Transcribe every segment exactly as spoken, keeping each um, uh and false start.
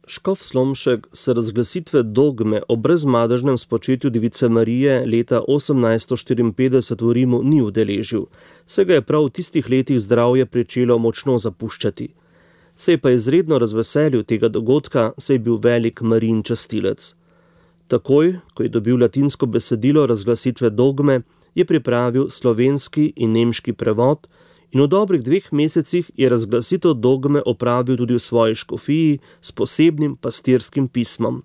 Škof Slomšek se razglasitve dogme o brezmadežnem spočetju Device Marije leta osemnajststo štiriinpetdeset v Rimu ni udeležil, saj ga je prav v tistih letih zdravje pričelo močno zapuščati. Se je pa izredno razveselil tega dogodka, saj je bil velik Marijin častilec. Takoj, ko je dobil latinsko besedilo razglasitve dogme, je pripravil slovenski in nemški prevod in v dobrih dveh mesecih je razglasitev dogme opravil tudi v svoji škofiji s posebnim pastirskim pismom.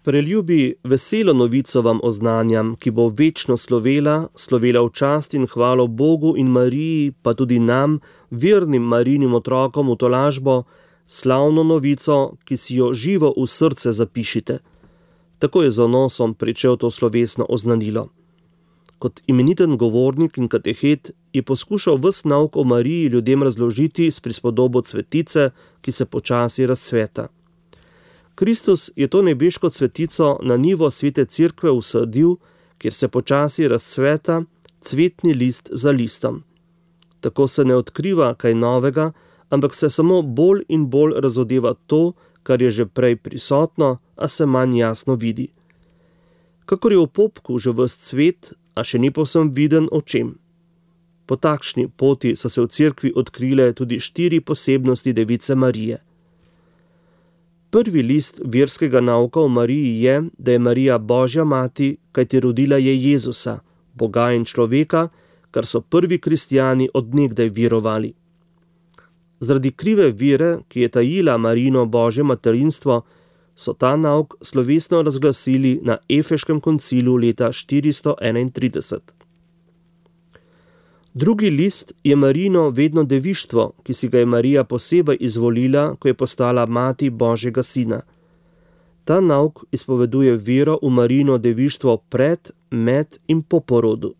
Preljubi veselo novico vam oznanjam, ki bo večno slovela, slovela v čast in hvalo Bogu in Mariji, pa tudi nam, vernim Marijinim otrokom v tolažbo, slavno novico, ki si jo živo v srce zapišite. Tako je z onosom pričel to slovesno oznanilo. Kot imeniten govornik in katehet je poskušal ves nauk o Mariji ljudem razložiti s prispodobo cvetice, ki se počasi razcveta. Kristus je to nebeško cvetico na nivo svete cerkve usadil, kjer se počasi razcveta cvetni list za listom. Tako se ne odkriva kaj novega, ampak se samo bolj in bolj razodeva to, kar je že prej prisotno, a se manj jasno vidi. Kakor je v popku že ves cvet, a še ni povsem viden očem. Po takšni poti so se v cerkvi odkrile tudi štiri posebnosti Device Marije. Prvi list verskega nauka o Mariji je, da je Marija Božja mati, kajti rodila je Jezusa, Boga in človeka, kar so prvi kristjani od nekdaj verovali. Zaradi krive vere, ki je tajila Marijino Božje materinstvo, so ta nauk slovesno razglasili na Efeškem koncilu leta štiristo enaintrideset. Drugi list je Marijino vedno devištvo, ki si ga je Marija posebej izvolila, ko je postala mati Božjega sina. Ta nauk izpoveduje vero v Marijino devištvo pred, med in po porodu.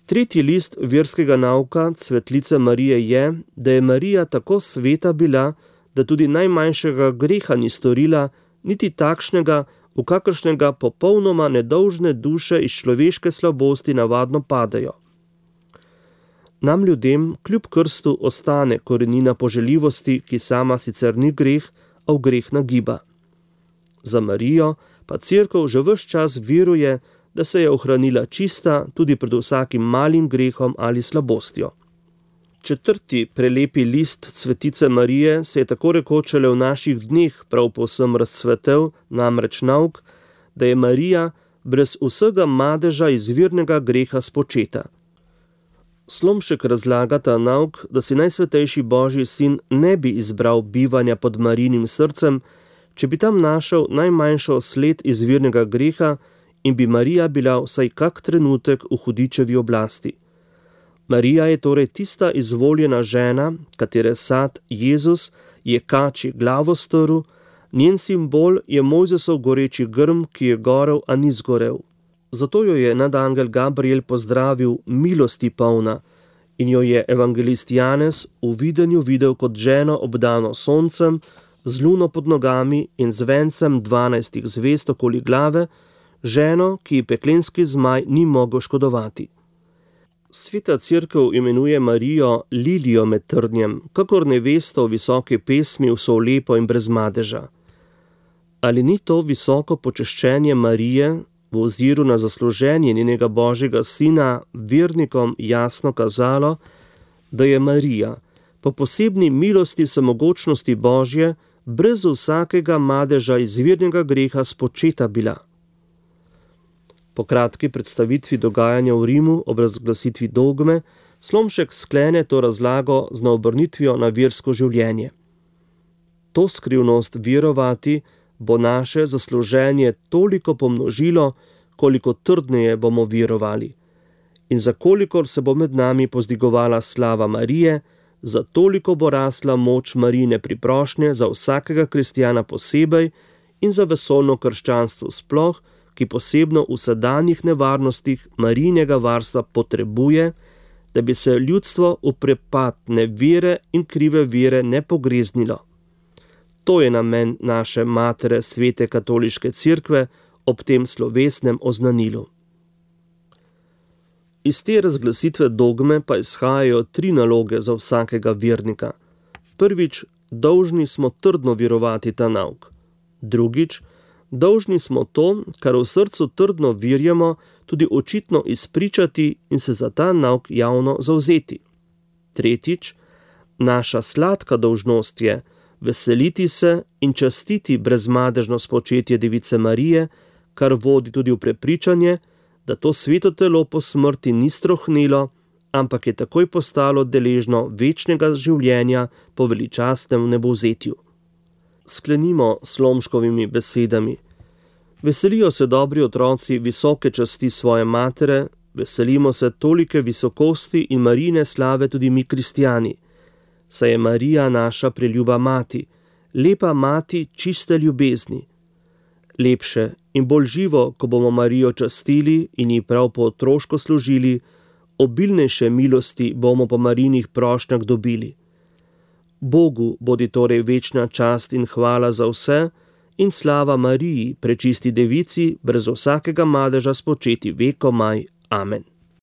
Tretji list verskega nauka Cvetlice Marije je, da je Marija tako sveta bila, da tudi najmanjšega greha ni storila, niti takšnega, v kakršnega popolnoma nedolžne duše iz človeške slabosti navadno padejo. Nam ljudem kljub krstu ostane korenina poželjivosti, ki sama sicer ni greh, a v greh nagiba. Za Marijo pa cerkev že ves čas veruje, da se je ohranila čista tudi pred vsakim malim grehom ali slabostjo. Četrti prelepi list Cvetice Marije se je tako rekoč šele v naših dneh prav povsem razcvetel, namreč nauk, da je Marija brez vsega madeža izvirnega greha spočeta. Slomšek razlaga ta nauk, da si najsvetejši Božji sin ne bi izbral bivanja pod Marijinim srcem, če bi tam našel najmanjšo sled izvirnega greha in bi Marija bila vsaj kak trenutek v hudičevi oblasti. Marija je torej tista izvoljena žena, katere sad Jezus je kači glavo strl, njen simbol je Mojzesov goreči grm, ki je gorel, a ni zgorel. Zato jo je nadangel Gabriel pozdravil milosti polna in jo je evangelist Janez v videnju videl kot ženo obdano soncem, z luno pod nogami in z vencem dvanajstih zvezd okoli glave, ženo, ki ji peklenski zmaj ni mogel škodovati. Sveta cerkev imenuje Marijo lilijo med trnjem, kakor nevesto v visoki pesmi vso lepo in brez madeža. Ali ni to visoko počeščenje Marije v oziru na zasluženje njenega Božjega sina vernikom jasno kazalo, da je Marija po posebni milosti vsemogočnosti Božje brez vsakega madeža izvirnega greha spočeta bila? Po kratki predstavitvi dogajanja v Rimu ob razglasitvi dogme, Slomšek sklene to razlago z naobrnitvijo na versko življenje. To skrivnost verovati bo naše zasluženje toliko pomnožilo, koliko trdneje bomo verovali. In za kolikor se bo med nami pozdigovala slava Marije, za toliko bo rasla moč Marijine priprošnje za vsakega kristjana posebej in za vesolno krščanstvo sploh, ki posebno v sedanjih nevarnostih Marijinega varstva potrebuje, da bi se ljudstvo v prepad nevere in krive vere ne pogreznilo. To je namen naše matere svete katoliške cerkve ob tem slovesnem oznanilu. Iz te razglasitve dogme pa izhajajo tri naloge za vsakega vernika. Prvič, dolžni smo trdno verovati ta nauk. Drugič, dolžni smo to, kar v srcu trdno verjamo, tudi očitno izpričati in se za ta nauk javno zavzeti. Tretjič, naša sladka dolžnost je veseliti se in častiti brezmadežno spočetje Device Marije, kar vodi tudi v prepričanje, da to sveto telo po smrti ni strohnelo, ampak je takoj postalo deležno večnega življenja po veličastnem nebovzetju. Sklenimo s Slomškovimi besedami. Veselijo se dobri otroci visoke časti svoje matere, veselimo se tolike visokosti in Marijine slave tudi mi kristjani. Saj je Marija naša preljuba mati, lepa mati čiste ljubezni. Lepše in bolj živo, ko bomo Marijo častili in ji prav po otroško služili, obilnejše milosti bomo po Marijinih prošnjah dobili. Bogu bodi torej večna čast in hvala za vse in slava Mariji, prečisti devici, brez vsakega madeža spočeti vekomaj. Amen.